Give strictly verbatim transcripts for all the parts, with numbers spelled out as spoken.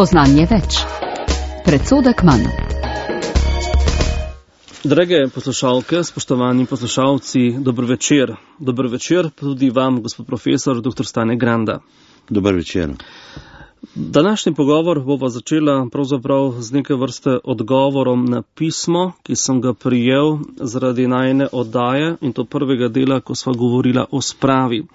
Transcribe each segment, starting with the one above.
Spoznanje več. Predsodek manj. Drage poslušalke, spoštovani poslušalci, dober večer. Dober večer tudi vam, gospod profesor, doktor Stane Granda. Dober večer. Današnji pogovor bova začela pravzaprav z neke vrste odgovorom na pismo, ki sem ga prijel zaradi najine oddaje, in to prvega dela, ko sva govorila o spravi.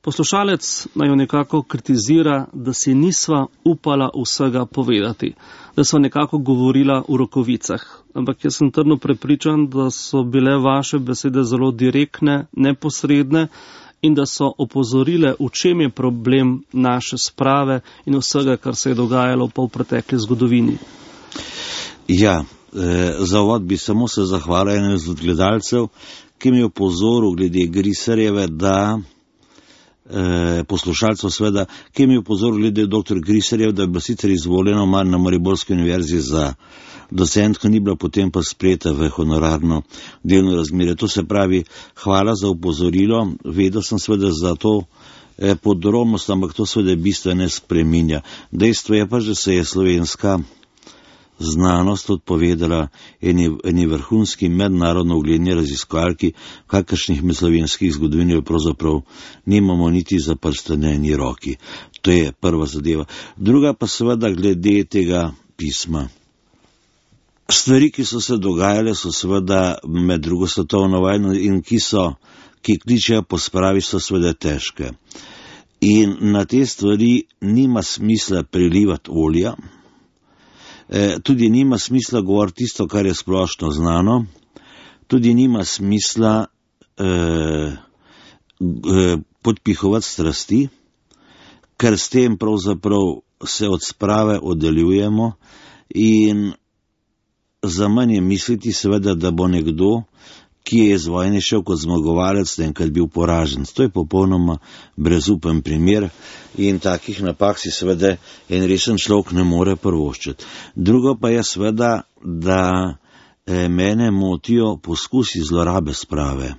Poslušalec naj jo nekako kritizira, da si nisva upala vsega povedati, da sva nekako govorila v rokovicah. Ampak jaz sem trdno prepričan, da so bile vaše besede zelo direktne, neposredne in da so opozorile, v čem je problem naše sprave in vsega, kar se je dogajalo pa v pretekli zgodovini. Ja, eh, za uvod bi samo se zahvalil enemu od gledalcev, ki mi je opozoril glede Griserjeve, da eh, poslušalcev sveda, ki mi je opozoril glede doktor Griserjev, da je bila sicer izvoljena mar na Mariborski univerzi za docentko, ni bila potem pa sprejeta v honorarno delno razmerje. To se pravi, hvala za opozorilo, vedel sem sveda za to eh, podrobnost, ampak to sveda bistveno ne spreminja. Dejstvo je pa, da se je slovenska znanost odpovedala eni, eni vrhunski mednarodno ugledni raziskovalki, kakršnih med slovenskih zgodovin pravzaprav nimamo niti za prste na eni roki. To je prva zadeva. Druga pa seveda glede tega pisma. Stvari, ki so se dogajale, so seveda med drugo svetovno vojno in ki so, ki kličejo po spravi, so seveda težke. In na te stvari nima smisla prilivati olja, e, tudi nima smisla govoriti tisto, kar je splošno znano, tudi nima smisla e, e, podpihovati strasti, ker s tem pravzaprav se od sprave oddaljujemo in za manj je misliti seveda, da bo nekdo, ki je iz vojne šel kot zmagovalec, enkrat bil poražen. To je popolnoma brezupen primer in takih napak si seveda en resen človek ne more privoščiti. Drugo pa je seveda, da eh, mene motijo poskusi zlorabe sprave.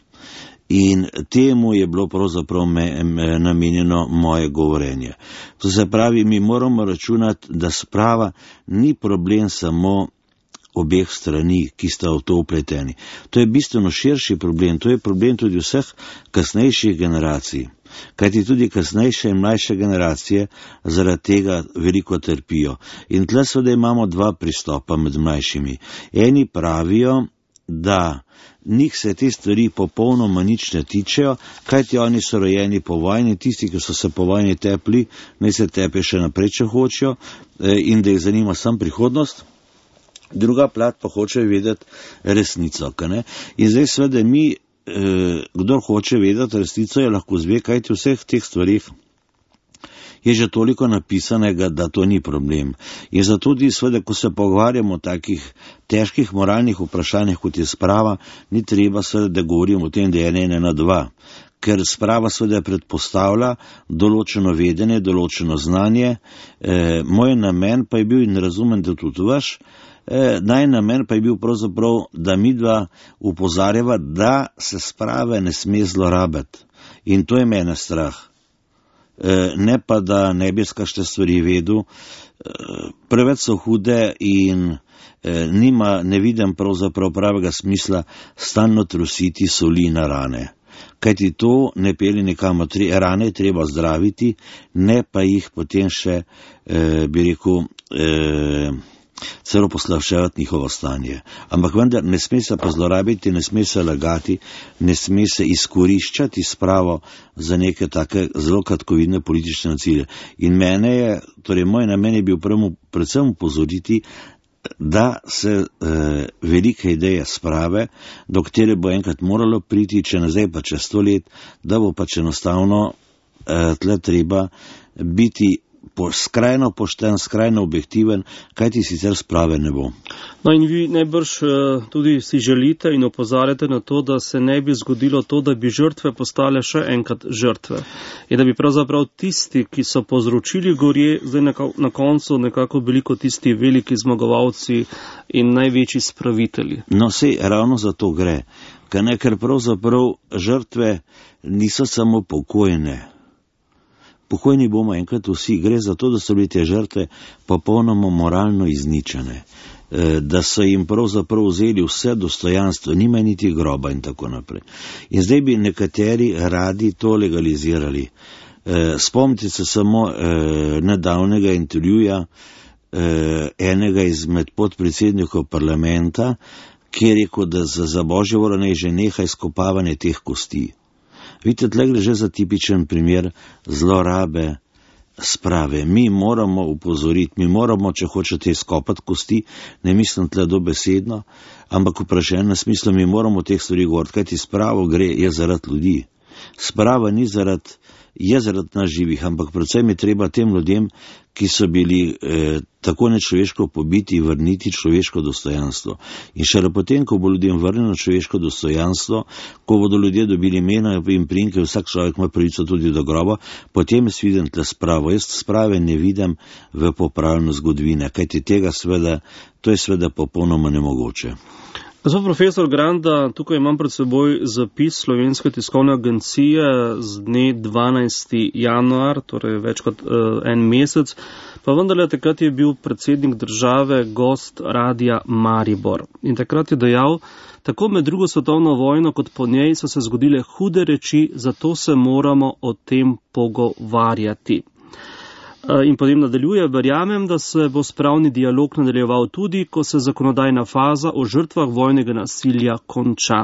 In temu je bilo pravzaprav me, me, namenjeno moje govorenje. To se pravi, mi moramo računati, da sprava ni problem samo obeh strani, ki sta v to upleteni. To je bistveno širši problem, to je problem tudi vseh kasnejših generacij, kajti tudi kasnejše in mlajše generacije zaradi tega veliko trpijo. In tle seveda imamo dva pristopa med mlajšimi. Eni pravijo, da njih se te stvari popolnoma nič ne tičejo, kajti oni so rojeni po vojni, tisti, ki so se po vojni tepli, naj se tepe še naprej, če hočejo, in da jih zanima sam prihodnost. Druga plat pa hoče vedeti resnico. Ne? In zdaj seveda mi, eh, kdor hoče vedeti resnico, je lahko zve, kajti vseh teh stvarih je že toliko napisanega, da to ni problem. In zato tudi seveda, ko se pogovarjamo o takih težkih moralnih vprašanjih, kot je sprava, ni treba seveda, da govorimo o tem, da je ena ena dva. Ker sprava seveda predpostavlja določeno vedenje, določeno znanje. Eh, moj namen pa je bil, in razumem, da tudi vaš, Eh, naj namen pa je bil pravzaprav, da midva upozarjava, da se sprave ne sme zlorabiti. In to je mene strah. Eh, ne pa, da ne bi kakšne stvari vedel. Eh, preveč so hude in eh, nima, ne vidim pravzaprav pravega smisla stalno trusiti soli na rane. Kajti to ne pelje nikamor. Rane je treba zdraviti, ne pa jih potem še, eh, bi rekel, eh, celo poslavševati njihovo stanje. Ampak vendar ne sme se pa zlorabiti, ne sme se lagati, ne sme se izkoriščati spravo za neke take zelo kratkovidne politične cilje. In mene je, torej moj namen je bil prvo, predvsem upozoriti, da se eh, velike ideje sprave, do katere bo enkrat moralo priti, če ne zdaj pa čez sto let, da bo pač enostavno eh, tle treba biti Po, skrajno pošten, skrajno objektiven, kaj ti sicer sprave ne bo. No in vi najbrž tudi si želite in opozarjate na to, da se ne bi zgodilo to, da bi žrtve postale še enkrat žrtve. In da bi pravzaprav tisti, ki so povzročili gorje, zdaj na koncu nekako bili kot tisti veliki zmagovalci in največji spravitelji. No sej, ravno za to gre. Ker pravzaprav žrtve niso samo pokojne. pokojni bomo enkrat vsi. Gre za to, da so bili te žrtve popolnoma moralno izničene, da so jim pravzaprav vzeli vse dostojanstvo, nima niti groba in tako naprej. In zdaj bi nekateri radi to legalizirali. Spomnite se samo nedavnega intervjuja enega izmed podpredsednikov parlamenta, ki je rekel, da za, za božjo voljo naj že neha izkopavanje teh kosti. Vidite, tle gre že za tipičen primer zlorabe sprave. Mi moramo upozoriti, mi moramo, če hočete, izkopati kosti, ne mislim tle dobesedno, ampak vprašanje na smislu, mi moramo teh stvari govoriti, kajti spravo gre, je zaradi ljudi. Sprava ni zaradi, je zaradi nas živih, ampak predvsem je treba tem ljudem, ki so bili eh, tako nečloveško pobiti, vrniti človeško dostojanstvo. In šele potem, ko bo ljudem vrnjeno človeško dostojanstvo, ko bodo ljudje dobili imena in priimke, vsak človek ima pravico tudi do groba, potem jaz vidim tle spravo. Jaz sprave ne vidim v popravljanju zgodovine, kajti tega sveda, to je sveda popolnoma nemogoče. Gospod profesor Granda, tukaj imam pred seboj zapis Slovenske tiskovne agencije z dne dvanajstega januarja, torej več kot uh, en mesec, pa vendarle takrat je bil predsednik države gost Radia Maribor. In takrat je dejal, tako med drugo svetovno vojno kot po njej so se zgodile hude reči, zato se moramo o tem pogovarjati. In potem nadaljuje, verjamem, da se bo spravni dialog nadaljeval tudi, ko se zakonodajna faza o žrtvah vojnega nasilja konča.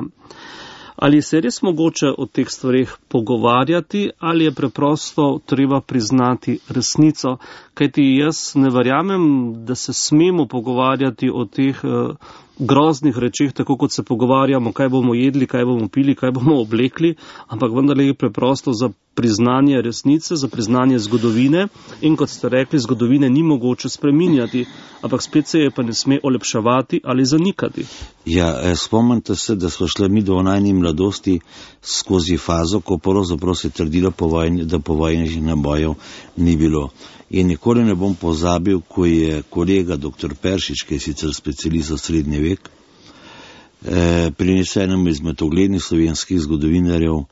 Ali se res mogoče o teh stvarih pogovarjati, ali je preprosto treba priznati resnico? Kajti jaz ne verjamem, da se smemo pogovarjati o teh uh, groznih rečeh, tako kot se pogovarjamo, kaj bomo jedli, kaj bomo pili, kaj bomo oblekli, ampak vendarle je preprosto za priznanje resnice, za priznanje zgodovine in kot ste rekli, zgodovine ni mogoče spreminjati, ampak spet se je pa ne sme olepševati ali zanikati. Ja, spomnite se, da smo šli mi do najni mladosti skozi fazo, ko pravzaprav se je trdilo po vojni, da po vojnih nabojev ni bilo. In nikoli ne bom pozabil, ko je kolega doktor Peršič, ki je sicer specialist za srednji vek, eh, prinesel enemu izmed uglednih slovenskih zgodovinarjev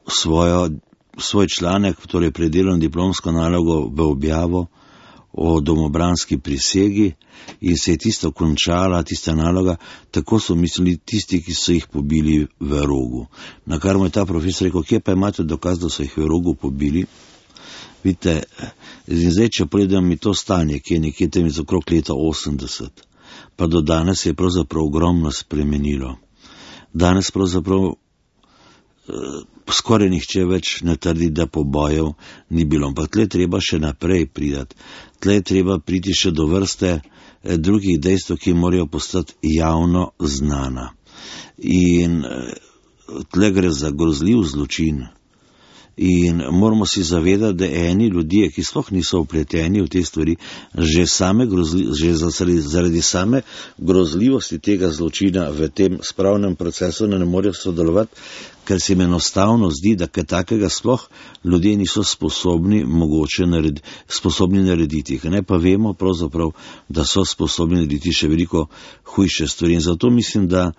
svojo, svoj članek, torej predelan diplomsko nalogo v objavo o domobranski prisegi in se je tisto končala, tista naloga, tako so mislili tisti, ki so jih pobili v Rogu. Na kar mu je ta profesor rekel, kje pa imate dokaz, da so jih v Rogu pobili? Vidite, zdaj, če pogledam mi to stanje, ki je nekje tam iz okrog leta osemdeset, pa do danes je pravzaprav ogromno spremenilo. Danes pravzaprav eh, skoraj nihče več ne trdi, da pobojev ni bilo, ampak tle treba še naprej pridati. Tle treba priti še do vrste eh, drugih dejstev, ki morajo postati javno znana. In eh, tle gre za grozljiv zločin. In moramo si zavedati, da eni ljudje, ki sploh niso vpleteni v te stvari, že, same grozli, že zaradi, zaradi same grozljivosti tega zločina v tem spravnem procesu ne morejo sodelovati, ker se jim enostavno zdi, da kaj takega sploh ljudje niso sposobni mogoče narediti, sposobni narediti. Ne pa vemo pravzaprav, da so sposobni narediti še veliko hujše stvari. In zato mislim, da,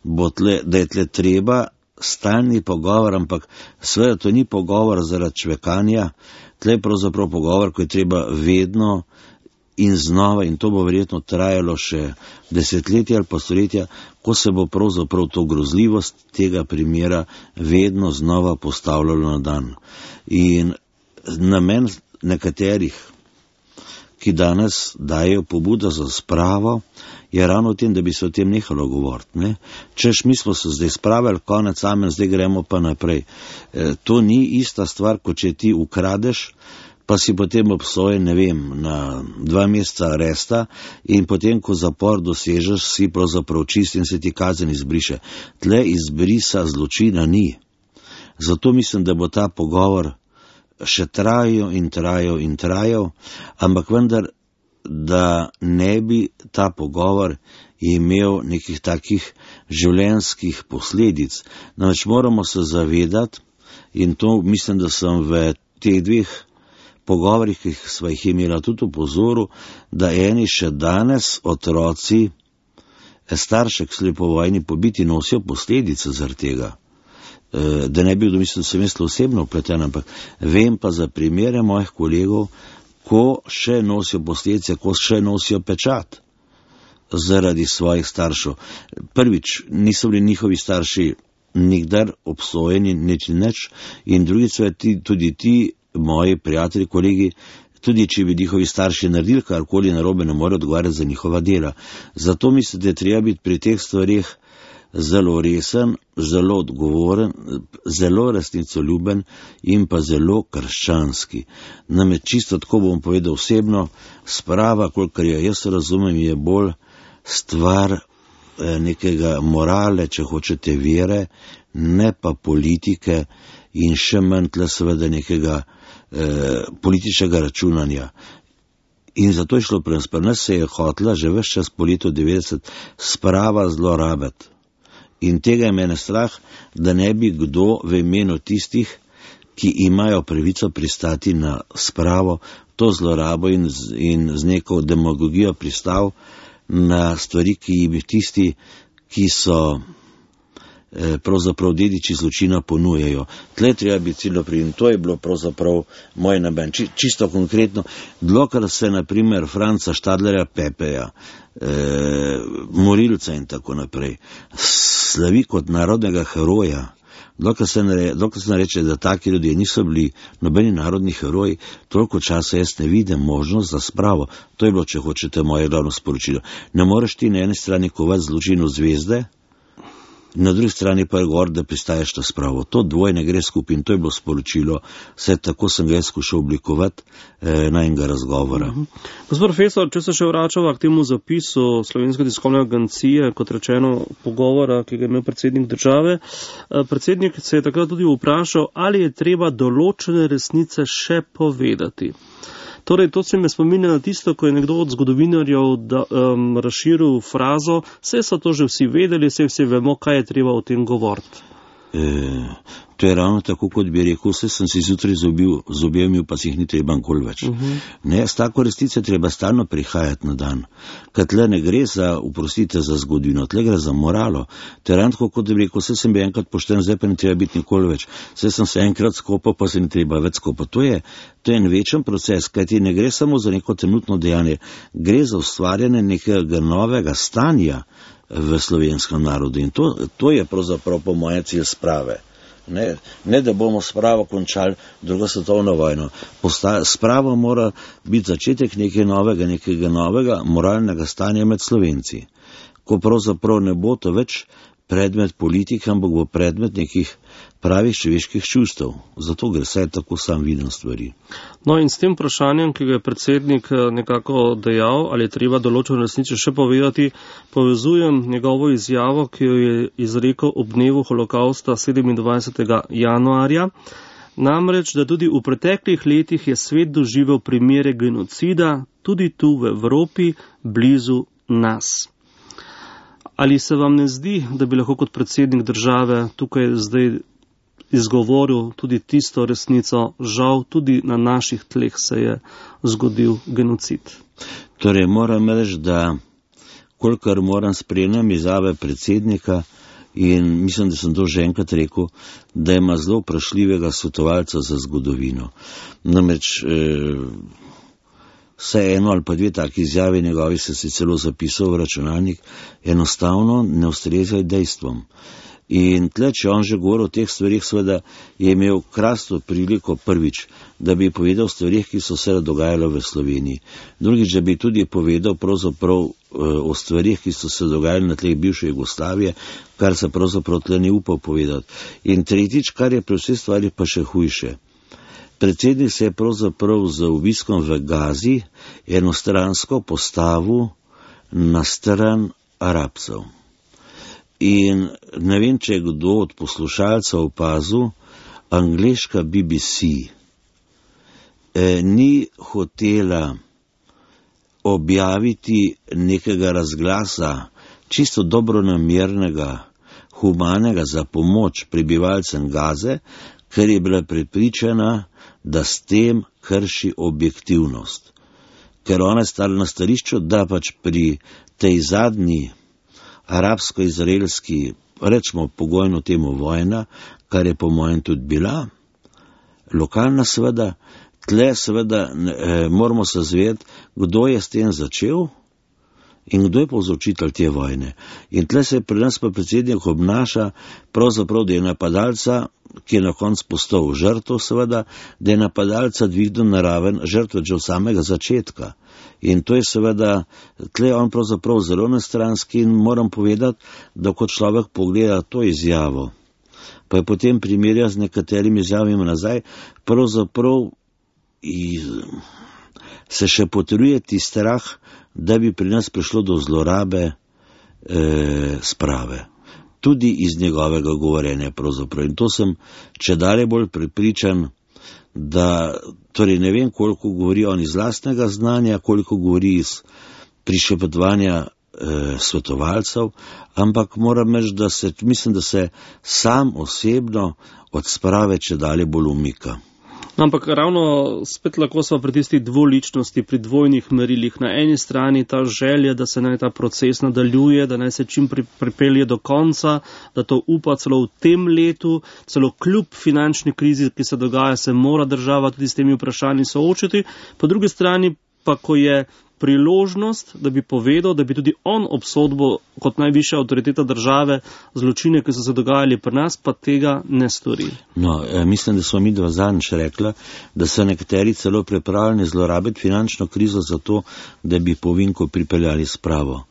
bo tle, da je tle treba stalni pogovor, ampak seveda to ni pogovor zaradi čvekanja, tle je pravzaprav pogovor, ko je treba vedno in znova, in to bo verjetno trajalo še desetletja ali pa stoletja, ko se bo pravzaprav to grozljivost tega primera vedno znova postavljalo na dan. In namen nekaterih, ki danes dajo pobudo za spravo, je ravno v tem, da bi se o tem nehalo govoriti. Ne? Češ, mi smo se zdaj spravili, konec amen, zdaj gremo pa naprej. E, to ni ista stvar, kot če ti ukradeš, pa si potem obsojen, ne vem, na dva meseca aresta in potem, ko zapor dosežeš, si pravzaprav čist in se ti kazen izbriše. Tle izbrisa zločina ni. Zato mislim, da bo ta pogovor še trajal in trajal in trajal, ampak vendar, da ne bi ta pogovor imel nekih takih življenjskih posledic. Namreč moramo se zavedati, in to mislim, da sem v teh dveh pogovorih, ki sva jih imela tudi v pozoru, da eni še danes otroci, starše, ki so po vojni pobiti, nosijo posledice zaradi tega. da ne bi kdo mislil, da sem jaz osebno upleten, ampak vem pa za primere mojih kolegov, ko še nosijo posledice, ko še nosijo pečat zaradi svojih staršev. Prvič, niso bili njihovi starši nikdar obsojeni, nič nič, in drugič, tudi ti moji prijatelji, kolegi, tudi če bi njihovi starši naredili karkoli narobe, ne morejo odgovarjati za njihova dela. Zato mislim, da je treba biti pri teh stvarih zelo resen, zelo odgovoren, zelo resnicoljuben in pa zelo krščanski. Namreč čisto tako bom povedal osebno, sprava, kolikor jo jaz razumem, je bolj stvar nekega morale, če hočete, vere, ne pa politike in še manj tle seveda nekega eh, političnega računanja. In zato je šlo pri nas, pri nas se je hotela že ves čas po letu devetdeset sprava zlorabiti. In tega je mene strah, da ne bi kdo v imenu tistih, ki imajo pravico pristati na spravo, to zlorabo in z, in z neko demagogijo pristal na stvari, ki jih tisti, ki so eh, pravzaprav dediči zločina ponujejo. Tle treba biti ciljo pri in to je bilo pravzaprav moj namen. Či, čisto konkretno, dlokar se naprimer Franca Štadlerja Pepeja, eh, morilca in tako naprej, slavi kot narodnega heroja, dokaj se, nare, dokaj se nareče, da taki ljudje niso bili nobeni narodni heroji, toliko časa jaz ne vidim možnost za spravo. To je bilo, če hočete, moje glavno sporočilo. Ne moreš ti na eni strani kovati zločinu zvezde, na drugi strani pa je gor, da pristaješ na spravo. To dvoje ne gre skupaj in to je bilo sporočilo. Vse tako sem ga jaz skušal oblikovati eh, na enega razgovora. Uh-huh. Gospod profesor, če se še vračava k temu zapisu Slovenske tiskovne agencije, kot rečeno, pogovora, ki ga je imel predsednik države, eh, predsednik se je takrat tudi vprašal, ali je treba določene resnice še povedati. Torej, to se me spominja na tisto, ko je nekdo od zgodovinarjev da, um, razširil frazo, vse so to že vsi vedeli, vse vsi vemo, kaj je treba o tem govoriti. E, to je ravno tako, kot bi rekel, vse sem si zjutraj z objemil, pa si jih ni treba nikoli več. Uh-huh. Ne, s tako resnice treba stalno prihajati na dan. Kaj tle ne gre za, uprostite, za zgodovino, tle gre za moralo. To je ravno tako, kot bi rekel, vse sem bil enkrat pošten, zdaj pa ne treba biti nikoli več. Vse sem se enkrat skopal, pa se ne treba več skopati. To je, to je en večen proces, kajti ne gre samo za neko trenutno dejanje, gre za ustvarjanje nekega novega stanja v slovenskem narodu in to, to je pravzaprav po moje cilj sprave. Ne, ne da bomo spravo končali drugo svetovno vojno. Posta, spravo mora biti začetek nekaj novega, nekega novega moralnega stanja med Slovenci. Ko pravzaprav ne bo to več predmet politike, ampak bo predmet nekih pravih človeških čustev. Zato gre, saj tako sam vidim stvari. No in s tem vprašanjem, ki ga je predsednik nekako dejal, ali je treba določeno resnico še povedati, povezujem njegovo izjavo, ki jo je izrekel ob dnevu holokausta sedemindvajsetega januarja. Namreč, da tudi v preteklih letih je svet doživel primere genocida, tudi tu v Evropi, blizu nas. Ali se vam ne zdi, da bi lahko kot predsednik države tukaj zdaj izgovoril tudi tisto resnico, žal tudi na naših tleh se je zgodil genocid? Torej, moram reči, da kolikor moram spremljam izjave predsednika in mislim, da sem to že enkrat rekel, da ima zelo vprašljivega svetovalca za zgodovino. Namreč, eh, vse eno ali pa dve taki izjavi njegovi se si celo zapisal v računalnik, enostavno ne ustrezajo dejstvom. In tle, če on že govori o teh stvarih, seveda je imel krasno priliko prvič, da bi povedal o stvarih, ki so se dogajale v Sloveniji. Drugič, da bi tudi povedal pravzaprav o stvarih, ki so se dogajale na tleh bivše Jugoslavije, kar se pravzaprav tle ni upal povedati. In tretjič, kar je pri vseh stvari pa še hujše. Predsednik se je pravzaprav z obiskom v Gazi enostransko postavil na stran Arabcev. In ne vem, če je kdo od poslušalcev opazil, angleška B B C eh, ni hotela objaviti nekega razglasa, čisto dobronamernega, humanega za pomoč prebivalcem Gaze, ker je bila prepričana, da s tem krši objektivnost. Ker ona je stala na stališču, da pač pri tej zadnji arabsko-izraelski, rečemo pogojno temu vojna, kar je po mojem tudi bila, lokalna seveda, tle seveda eh, moramo se zvedeti, kdo je s tem začel in kdo je povzročitelj te vojne. In tle se pri nas pa predsednik obnaša pravzaprav, da je napadalca, ki je na koncu postal žrtev seveda, da je napadalca dvignil na raven žrtve že od samega začetka. In to je seveda, tle on pravzaprav zelo nestranski in moram povedati, da kot človek pogleda to izjavo, pa je potem primerja z nekaterimi izjavami nazaj, pravzaprav iz, se še potrjuje ti strah, da bi pri nas prišlo do zlorabe e, sprave. Tudi iz njegovega govorjenja pravzaprav. In to sem če dalje bolj prepričan, da, torej ne vem, koliko govori on iz lastnega znanja, koliko govori iz prišepetovanja e, svetovalcev, ampak moram reči, da se, mislim, da se sam osebno od sprave če dalje bolj umika. Ampak ravno spet lahko smo pri tisti dvoličnosti, pri dvojnih merilih. Na eni strani ta želja, da se naj ta proces nadaljuje, da naj se čim pri, pripelje do konca, da to upa celo v tem letu, celo kljub finančni krizi, ki se dogaja, se mora država tudi s temi vprašanji soočiti. Po drugi strani pa, ko je priložnost, da bi povedal, da bi tudi on obsodbo kot najvišja avtoriteta države zločine, ki so se dogajali pri nas, pa tega ne stori. No, mislim, da smo mi dva zadnjič rekla, da so nekateri celo pripravljeni zlorabiti finančno krizo za to, da bi po vinku pripeljali spravo.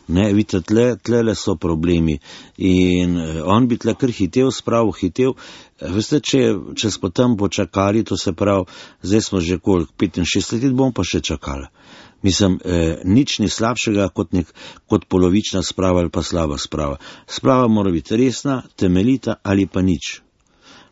Ne, vidite, tle, tlele so problemi in on bi tle kar hitev, spravo hitev. Veste, če, če smo tam počakali, to se pravi, zdaj smo že koliko, petinšestdeset let bomo pa še čakali. Mislim, eh, nič ni slabšega kot, nek, kot polovična sprava ali pa slaba sprava. Sprava mora biti resna, temeljita ali pa nič.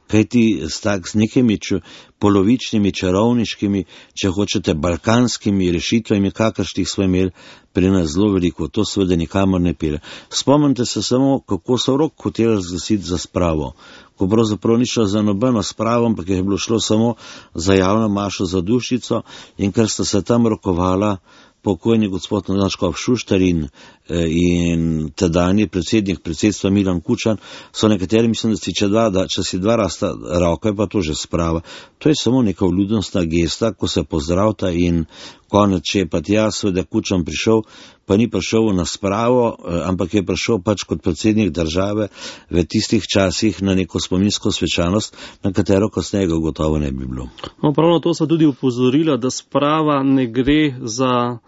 Kaj ti s, tak, s nekimi č, polovičnimi, čarovniškimi, če hočete, balkanskimi rešitvami, kakršnih smo imeli pri nas zelo veliko, to seveda nikamor ne pele. Spomnite se samo, kako so rok hoteli razglasiti za spravo, ko pravzaprav ni šlo za nobeno spravo, ampak je bilo šlo samo za javno mašo za dušico in ker sta se tam rokovala pokojni gospod Škof Šuštar in, in tedajni predsednik predsedstva Milan Kučan, so nekateri, mislim, da si če, dva, da, če si dva rasta roka, je pa to že sprava. To je samo neka vljudnostna gesta, ko se pozdravta in konec, če je pa tja seveda Kučan prišel, pa ni prišel na spravo, ampak je prišel pač kot predsednik države v tistih časih na neko spominsko svečanost, na katero kasneje ga gotovo ne bi bilo. No, pravno to so tudi upozorila, da sprava ne gre za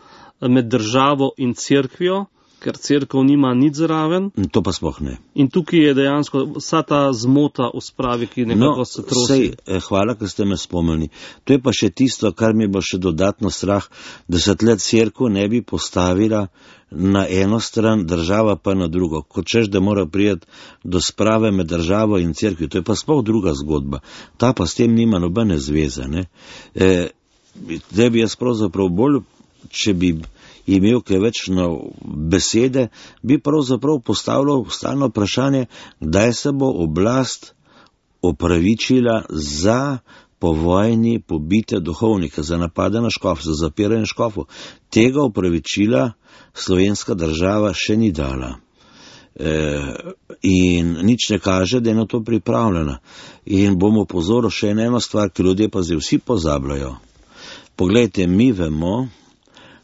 med državo in cerkvijo, ker cerkev nima nič zraven. To pa sploh ne. In tukaj je dejansko vsa ta zmota v spravi, ki nekako no, se trosi. Sej, hvala, ker ste me spomnili. To je pa še tisto, kar mi bo še dodatno strah, da se tle cerkev ne bi postavila na eno stran, država pa na drugo. Kot češ, da mora prijeti do sprave med državo in cerkvijo. To je pa sploh druga zgodba. Ta pa s tem nima nobene zveze. Ne? E, da bi jaz pravzaprav bolj, če bi imel kaj več na besede, bi pravzaprav postavljal stalno vprašanje, kdaj se bo oblast opravičila za povojni pobite duhovnike, za napade na škof, za zapiranje škofov. Tega opravičila slovenska država še ni dala. E, in nič ne kaže, da je na to pripravljena. In bomo pozorili še eno stvar, ki ljudje pa zdaj vsi pozabljajo. Poglejte, mi vemo,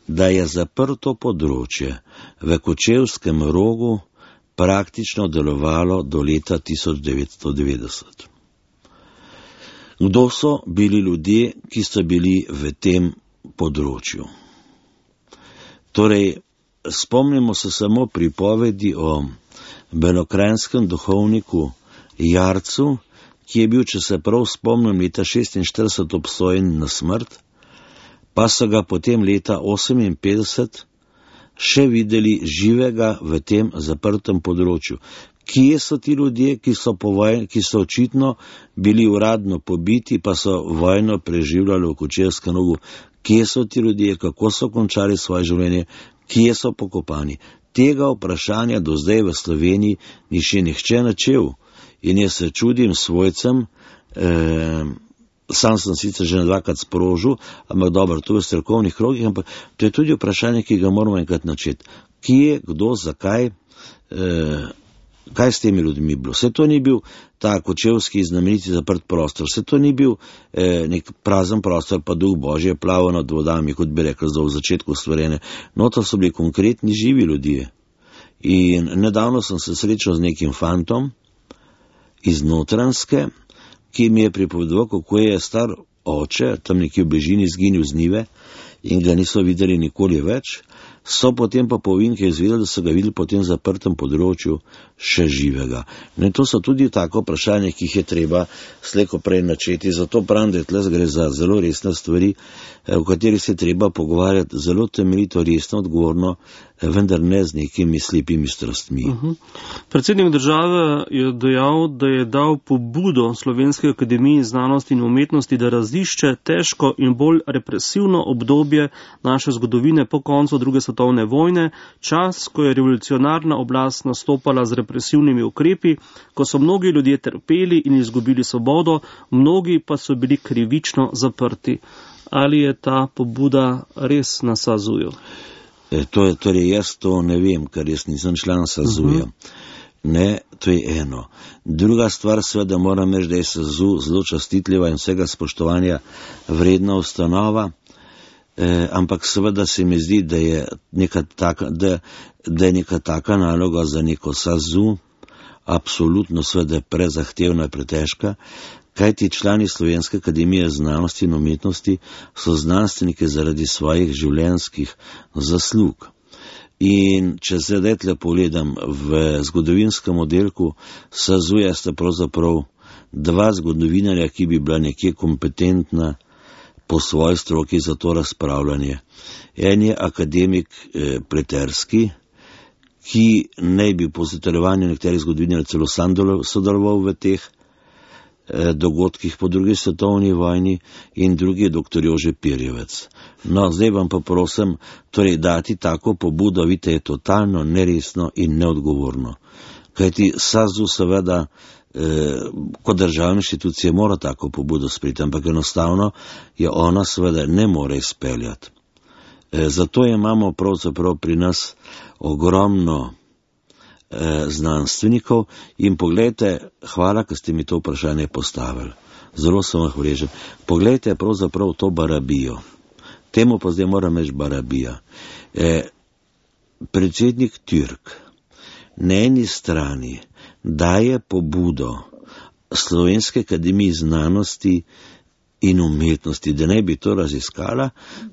da je zaprto področje v Kočevskem Rogu praktično delovalo do leta tisoč devetsto devetdeset. Kdo so bili ljudje, ki so bili v tem področju? Torej, spomnimo se samo pripovedi o belokranjskem duhovniku Jarcu, ki je bil, če se prav spomnim, leta šestinštirideset obsojen na smrt, pa so ga potem leta oseminpetdeset še videli živega v tem zaprtem področju. Kje so ti ljudje, ki so, povoj, ki so očitno bili uradno pobiti, pa so vojno preživljali v Kočevskem Rogu? Kje so ti ljudje, kako so končali svoje življenje, kje so pokopani? Tega vprašanja do zdaj v Sloveniji ni še nihče načel. In jaz se čudim svojcem, eh, sam sem sicer že dvakrat sprožil, ampak dobro, to je v strokovnih krogih, ampak to je tudi vprašanje, ki ga moramo enkrat načeti. Kje, kdo, zakaj, eh, kaj s temi ljudmi bilo? Vse to ni bil ta kočevski znameniti zaprt prostor, vse to ni bil eh, nek prazen prostor, pa duh Božje plaval nad vodami, kot bi rekel, v začetku stvorene. No, to so bili konkretni živi ljudje. In nedavno sem se srečal z nekim fantom iz Notranjske, ki mi je pripovedoval, kako je star oče, tam nekje v bližini, izginil z njive in ga niso videli nikoli več. So potem pa povinke izvedeli, da so ga videli po tem zaprtem področju še živega. Ne, to so tudi tako vprašanje, ki jih je treba slejko prej načeti. Zato pravim, da tle gre za zelo resne stvari, o katerih se treba pogovarjati zelo temeljito, resno, odgovorno, vendar ne z nekimi slepimi strastmi. Uh-huh. Predsednik države je dejal, da je dal pobudo Slovenski akademiji znanosti in umetnosti, da razišče težko in bolj represivno obdobje naše zgodovine po koncu druge svetovne vojne, čas, ko je revolucionarna oblast nastopala z represivnimi ukrepi, ko so mnogi ljudje trpeli in izgubili svobodo, mnogi pa so bili krivično zaprti. Ali je ta pobuda res na SAZU-ju? E, to je, torej jaz to ne vem, ker jaz nisem član SAZU-ja. Uh-huh. Ne, to je eno. Druga stvar, seveda moram reči, da je SAZU zelo častitljiva in vsega spoštovanja vredna ustanova, eh, ampak seveda se mi zdi, da je neka taka, da, da je neka taka naloga za neko SAZU absolutno seveda prezahtevna, pretežka, kaj ti člani Slovenske akademije znanosti in umetnosti so znanstveniki zaradi svojih življenjskih zaslug. In če se zdaj pogledam v zgodovinskem oddelku SAZU-ja, sta pravzaprav dva zgodovinarja, ki bi bila nekje kompetentna po svoji stroki za to razpravljanje. En je akademik eh, Pleterski, ki naj bi po zatrjevanju nekaterih zgodovinarjev celo sodeloval v teh dogodkih po drugi svetovni vojni, in drugi je doktor Jože Pirjevec. No, zdaj vam pa prosim, torej dati tako pobudo, vidite, je totalno neresno in neodgovorno. Kajti SAZU seveda eh, kot državna inštitucija mora tako pobudo sprejeti, ampak enostavno je ona seveda ne more izpeljati. Eh, zato imamo pravzaprav pri nas ogromno znanstvenikov in pogledajte, hvala, ker ste mi to vprašanje postavili. Zelo sem vam hvaležen. Pogledajte pravzaprav to Barabijo. Temu pa zdaj moram reči Barabija. E, predsednik Türk na eni strani daje pobudo Slovenske akademiji znanosti in umetnosti, da ne bi to raziskala,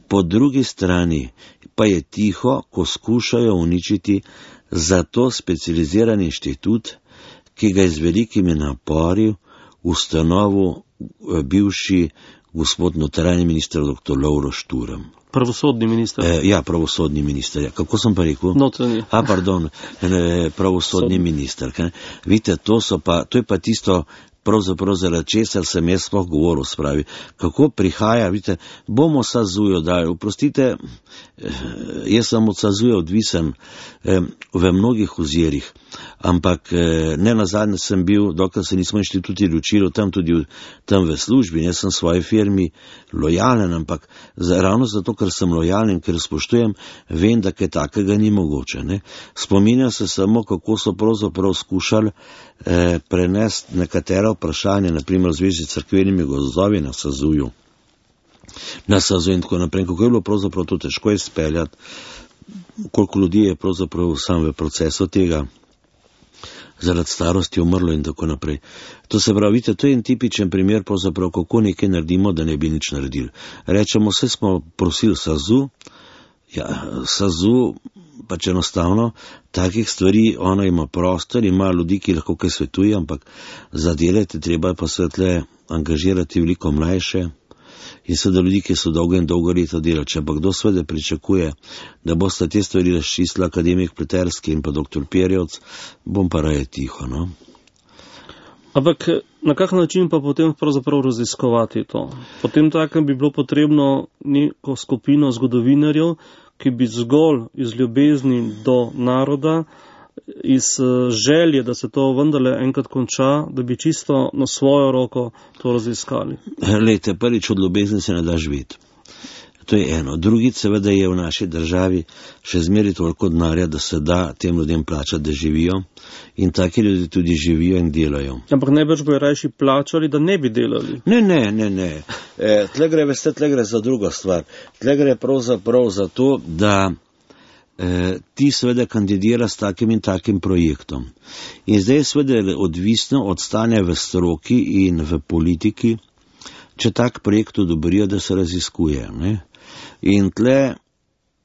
po drugi strani pa je tiho, ko skušajo uničiti za to specializiran inštitut, ki ga je z velikimi napori ustanovil bivši gospod notranji minister doktor Lovro Šturm. Pravosodni minister. E, ja, pravosodni minister. Ja. Kako sem pa rekel? Notranji. A, pardon, ne, pravosodni Sodni. minister. Kaj? Vidite, to, so pa, to je pa tisto, pravzaprav zaradi česar sem jaz sploh govoril, spravi. Kako prihaja, vidite, bomo SAZU-ju dali. Oprostite, jaz sem od SAZU-ja odvisen eh, v mnogih ozirih, ampak eh, ne nazadnje sem bil, dokler se nismo inštituti ločili, tam tudi v, tam v službi, jaz sem svoji firmi lojalen, ampak za, ravno zato, ker sem lojalen, ker spoštujem, vem, da kaj takega ni mogoče. Ne? Spominjam se samo, kako so pravzaprav skušali eh, prenesti nekatera vprašanja, naprimer v zvezi s cerkvenimi gozdovi na SAZU-ju, na SAZU in tako naprej, kako je bilo pravzaprav to težko izpeljati, koliko ljudi je pravzaprav sam v procesu tega zaradi starosti umrlo in tako naprej. To se pravi, vidite, to je en tipičen primer pravzaprav, kako nekaj naredimo, da ne bi nič naredili. Rečemo, vse smo prosili SAZU, ja, SAZU pač enostavno takih stvari, ona ima prostor, ima ljudi, ki lahko kaj svetuje, ampak za delati treba pa svetle angažirati veliko mlajše in seveda ljudi, ki so dolgo in dolgo leta delati. Če pa kdo seveda pričakuje, da boste te stvari razčistili akademik Pleterski in pa doktor Pirjevec, bom pa raje tiho, no? Ampak na kak način pa potem pravzaprav raziskovati to? Potem takem bi bilo potrebno neko skupino zgodovinarjev, ki bi zgolj iz ljubezni do naroda, iz želje, da se to vendarle enkrat konča, da bi čisto na svojo roko to raziskali. Lejte, prvič od ljubezni se ne da živeti. To je eno. Drugi, seveda, je v naši državi še zmeri toliko denarja, da se da tem ljudem plačati, da živijo, in taki ljudje tudi živijo in delajo. Ampak najbrž bojo rajši plačali, da ne bi delali. Ne, ne, ne, ne. E, tle gre, veste, tle gre za drugo stvar. Tle gre pravzaprav za to, da e, ti seveda kandidira s takim in takim projektom. In zdaj je seveda odvisno od stanja v stroki in v politiki, če tak projekt odobrijo, da se raziskuje. Ne? In tle,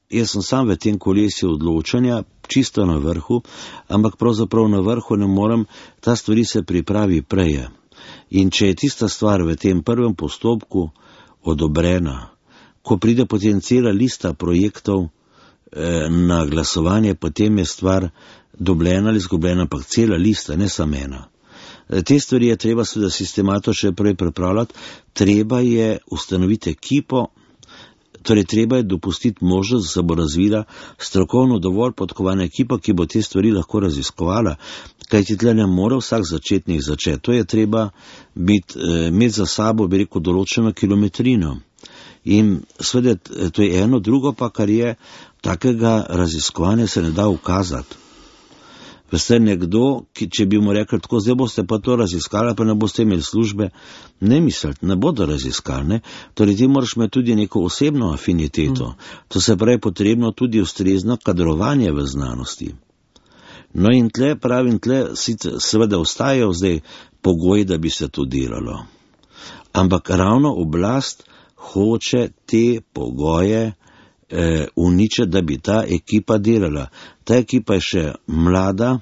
jaz sem sam v tem kolesju odločanja, čisto na vrhu, ampak pravzaprav na vrhu ne morem, ta stvari se pripravi prej. In če je tista stvar v tem prvem postopku odobrena, ko pride potem cela lista projektov eh, na glasovanje, potem je stvar dobljena ali zgubljena, ampak cela lista, ne samo ena. Te stvari je treba seveda sistemato še prej pripravljati, treba je ustanoviti ekipo, torej treba je dopustiti možnost, da se bo razvila strokovno dovolj podkovana ekipa, ki bo te stvari lahko raziskovala, kajti tle ne more vsak začetnik začeti. To je treba biti, imeti za sabo, bi rekel, določeno kilometrino. In seveda to je eno, drugo pa, kar je, takega raziskovanja se ne da ukazati. Veste, nekdo, ki, če bi mu rekli, tako zdaj boste pa to raziskali, pa ne boste imeli službe, ne misliti, ne bodo raziskali. Ne? Torej ti moraš imeti tudi neko osebno afiniteto. Mm. To se pravi potrebno tudi ustrezno kadrovanje v znanosti. No in tle, pravim, tle seveda ostajajo zdaj pogoji, da bi se to delalo. Ampak ravno oblast hoče te pogoje Eh, uniče, da bi ta ekipa delala. Ta ekipa je še mlada,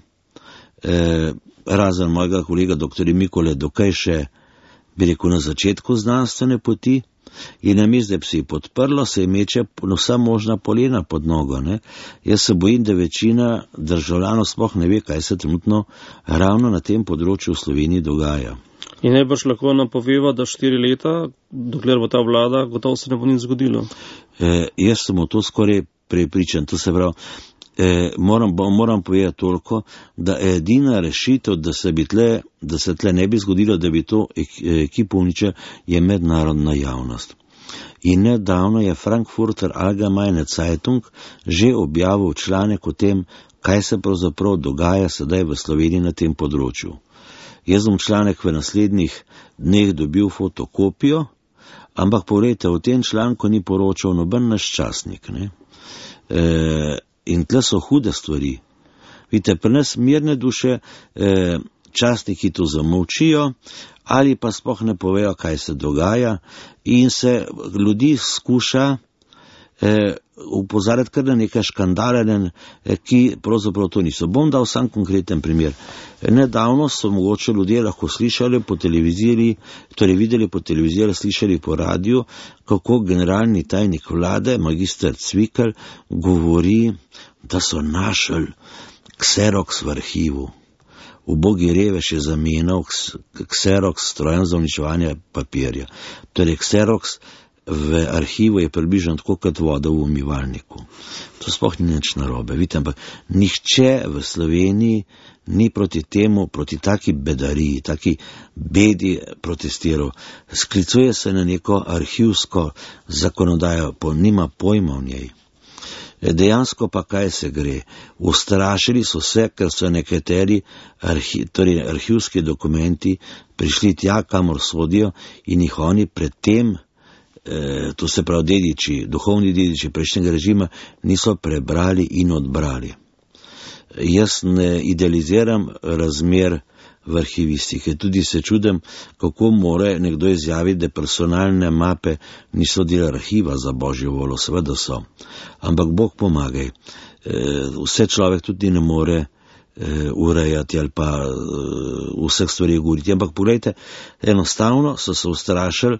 eh, razen mojega kolega doktor Mikole, dokaj še, bi rekel, na začetku znanstvene poti, in namesto, da bi se ji podprlo, se ji meče vsa možna polena pod nogo. Ne? Jaz se bojim, da večina državljanov sploh ne ve, kaj se trenutno ravno na tem področju v Sloveniji dogaja. In najbrž lahko napoveva, da štiri leta, dokler bo ta vlada, gotovo se ne bo nič zgodilo. E, jaz sem v to skoraj prepričan. To se pravi, e, moram, moram povedati toliko, da je edina rešitev, da se, bi tle, da se tle ne bi zgodilo, da bi to ekipo uničil, je mednarodna javnost. In nedavno je Frankfurter Allgemeine Zeitung že objavil članek o tem, kaj se pravzaprav dogaja sedaj v Sloveniji na tem področju. Jaz bom članek v naslednjih dneh dobil fotokopijo, ampak povejte, v tem članku ni poročal noben naš časnik. Ne? E, in tle so hude stvari. Vidite, pri nas mirne duše e, časniki to zamolčijo ali pa sploh ne povejo, kaj se dogaja, in se ljudi skuša e, upozarjati kar na nekaj škandale, ki pravzaprav to niso. Bom dal sam konkreten primer. Nedavno so mogoče ljudje lahko slišali po televiziji, torej videli po televiziji, slišali po radiju, kako generalni tajnik vlade, magister Cvikl, govori, da so našli Xerox v arhivu. Ubogi revež je zamenjal Xerox strojem za uničevanje papirja. Torej Xerox v arhivu je približno tako kot voda v umivalniku. To sploh ni nič narobe. Vidite, ampak nihče v Sloveniji ni proti temu, proti taki bedariji, taki bedi protestiral. Sklicuje se na neko arhivsko zakonodajo, po nima pojma v njej. Dejansko pa kaj se gre? Ustrašili so se, ker so nekateri arhi, torej arhivski dokumenti prišli tja, kamor sodijo, in jih oni predtem, eh, to se pravi dediči, duhovni dediči prejšnjega režima, niso prebrali in odbrali. Jaz ne idealiziram razmer v arhivistike, tudi se čudem, kako more nekdo izjaviti, da personalne mape niso del arhiva, za božjo voljo, seveda so. Ampak Bog pomagaj, vse človek tudi ne more urejati ali pa vseh stvari govoriti. Ampak pogledajte, enostavno so se ustrašili,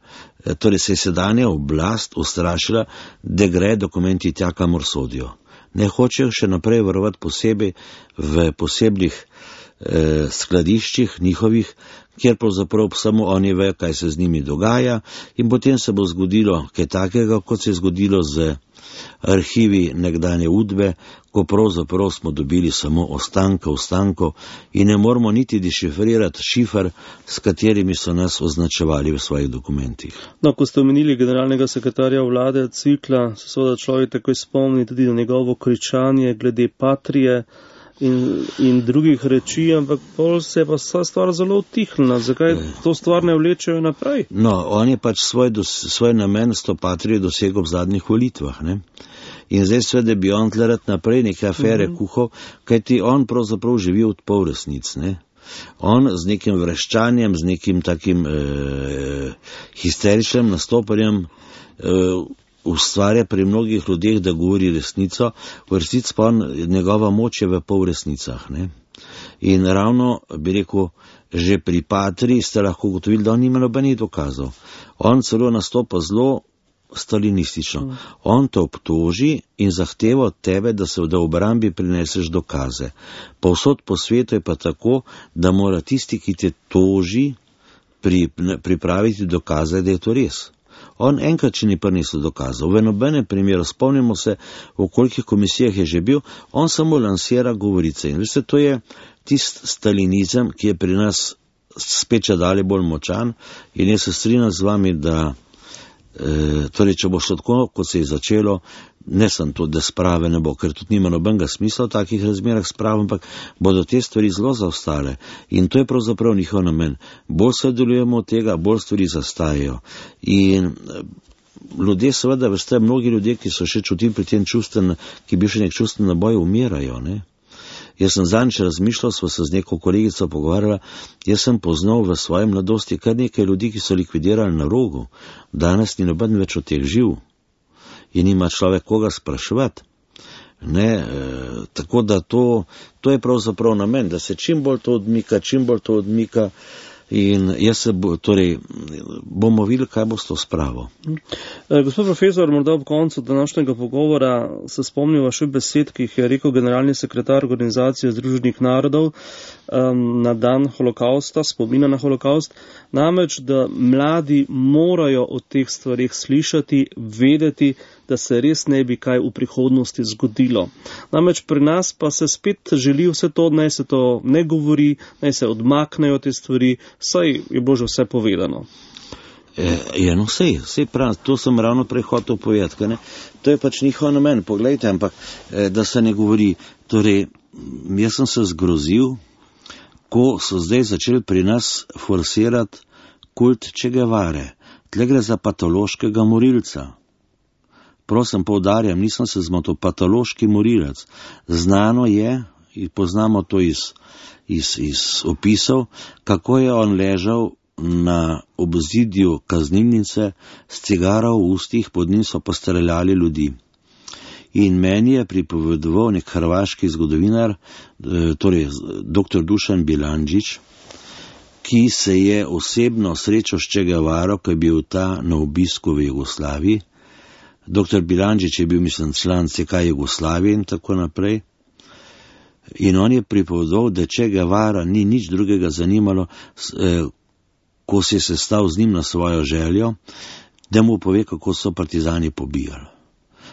torej se je sedanja oblast ustrašila, da gre dokumenti tja, kamor sodijo. Ne hočejo še naprej varovati posebej v posebnih eh, skladiščih njihovih, kjer pravzaprav samo oni vejo, kaj se z njimi dogaja, in potem se bo zgodilo kaj takega, kot se je zgodilo z arhivi nekdanje Udbe, ko pravzaprav smo dobili samo ostanke ostankov in ne moramo niti dešifrirati šifr, s katerimi so nas označevali v svojih dokumentih. No, ko ste omenili generalnega sekretarja vlade Cvikla, se seveda človek takoj spomni tudi na njegovo kričanje glede Patrije in, in drugih reči, ampak pol se je pa vsa stvar zelo utihnila. Zakaj to stvar ne vlečejo naprej? No, on je pač svoj, dos, svoj namen s to Patrijo dosegel v zadnjih volitvah, ne? In zdaj sveda bi on tle rad naprej neke afere mm-hmm. kuhal, kajti on pravzaprav živi od pol resnic, ne? On z nekim vreščanjem, z nekim takim eh, histeričnim nastopanjem eh, ustvarja pri mnogih ljudeh, da govori resnico, v resnici pa on, njegova moč je v pol resnicah, ne? In ravno, bi rekel, že pri Patriji ste lahko ugotovili, da on nima nobenih dokazov. On celo nastopa zelo stalinistično. Mm. On te obtoži in zahteva od tebe, da se v obrambi prineseš dokaze. Povsod po svetu je pa tako, da mora tisti, ki te toži, pri, pripraviti dokaze, da je to res. On enkrat, če ni prinesel dokazov, v nobenem primeru, spomnimo se, v kolikih komisijah je že bil, on samo lansira govorice. In veste, to je tist stalinizem, ki je pri nas spet dalje bolj močan, in jaz se strinjam z vami, da E, torej, če bo šlo tako, kot se je začelo, ne sem to, da sprave ne bo, ker tudi nima nobenega smisla v takih razmerah sprave, ampak bodo te stvari zelo zaostale. In to je pravzaprav njihov namen. Bolj se delujemo od tega, bolj stvari zastajajo. In ljudje, seveda, veste, mnogi ljudje, ki so še čutili pri tem čustven, ki bi še nek čustven naboj, umirajo, ne? Jaz sem zadnjič razmišljal, sva se z neko kolegico pogovarjala, jaz sem poznal v svoji mladosti kar nekaj ljudi, ki so likvidirali na Rogu. Danes ni noben več od teh živ in nima človek koga spraševati. Ne, e, tako da to, to je pravzaprav namen, da se čim bolj to odmika, čim bolj to odmika. In jaz se bo, torej, bomo videli, kaj bo s to spravo. E, gospod profesor, morda ob koncu današnjega pogovora se spomnil vaših besed, ki jih je rekel generalni sekretar Organizacije združenih narodov um, na dan holokausta, spomina na holokaust, namreč, da mladi morajo o teh stvarih slišati, vedeti, da se res ne bi kaj v prihodnosti zgodilo. Namreč pri nas pa se spet želi vse to, naj se to ne govori, naj se odmaknejo te stvari, saj je bilo že vse povedano. E, ja, no, sej, sej prav, to sem ravno prej hotel povedati, ne? To je pač njihov namen, poglejte, ampak e, da se ne govori. Torej, jaz sem se zgrozil, ko so zdaj začeli pri nas forsirati kult Che Guevare. Tle gre za patološkega morilca. Prosim, poudarjam, nisem se zmotil, patološki morilec. Znano je, in poznamo to iz, iz, iz opisov, kako je on ležal na obzidju kaznilnice s cigaro v ustih, pod njim so pa streljali ljudi. In meni je pripovedoval nek hrvaški zgodovinar, torej doktor Dušan Bilandžić, ki se je osebno srečal s Che Guevaro, ko je bil ta na obisku v Jugoslaviji. Doktor Bilandžić je bil, mislim, član C K Jugoslavije in tako naprej. In on je pripovedal, da Che Guevara ni nič drugega zanimalo, eh, ko se je sestal z njim na svojo željo, da mu pove, kako so partizani pobijali.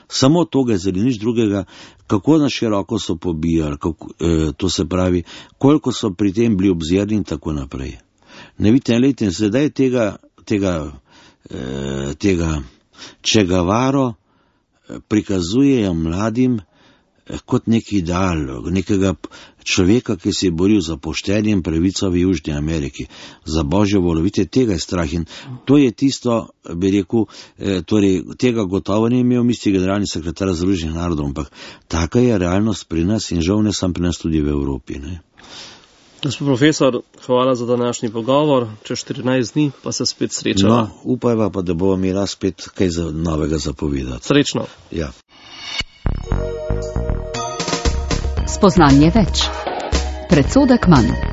Samo to ga je zelo nič drugega, kako na široko so pobijali, kako, eh, to se pravi, koliko so pri tem bili obzirni in tako naprej. Ne vidite, lejte, zdaj tega, tega, eh, tega Che Guevaro prikazujejo mladim kot neki ideal, nekega človeka, ki se je boril za poštenje in pravico v Južni Ameriki, za božjo voljo. Vidite, tega je strah in to je tisto, bi rekel, eh, torej tega gotovo ni imel misli generalni sekretar Združenih narodov, ampak taka je realnost pri nas in žal ne sam pri nas, tudi v Evropi, ne. Gospod profesor, hvala za današnji pogovor. Čez štirinajst dni pa se spet srečamo. No, upajva pa, da bomo imela spet kaj za novega zapovedati. Srečno. Ja. Spoznanje več. Predsodek manj.